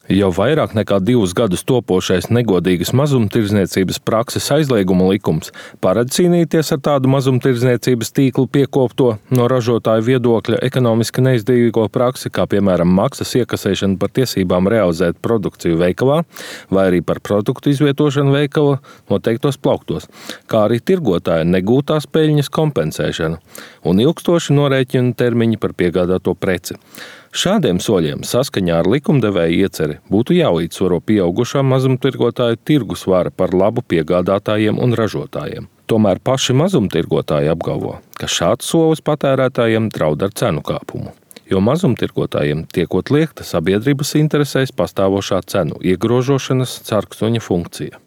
Jau vairāk nekā 2 gadus topošais negodīgas mazumtirdzniecības prakses aizlieguma likums paredz cīnīties ar tādu mazumtirdzniecības tīklu piekopto no ražotāju viedokļa ekonomiski neizdevīgo praksi, kā piemēram maksas iekasēšana par tiesībām realizēt produkciju veikalā vai arī par produktu izvietošanu veikala noteiktos plauktos, kā arī tirgotāja negūtās peļņas kompensēšana un ilgstoši norēķinu termiņi par piegādāto preci. Šādiem soļiem saskaņā ar likumdevēja ieceri būtu jālīdzsvaro pieaugušā mazumtirgotāju tirgus vara par labu piegādātājiem un ražotājiem. Tomēr paši mazumtirgotāji apgalvo, ka šāds solis patērētājiem draud ar cenu kāpumu, jo mazumtirgotājiem tiekot liekta sabiedrības interesēs pastāvošā cenu iegrožošanas carkstoņa funkcija.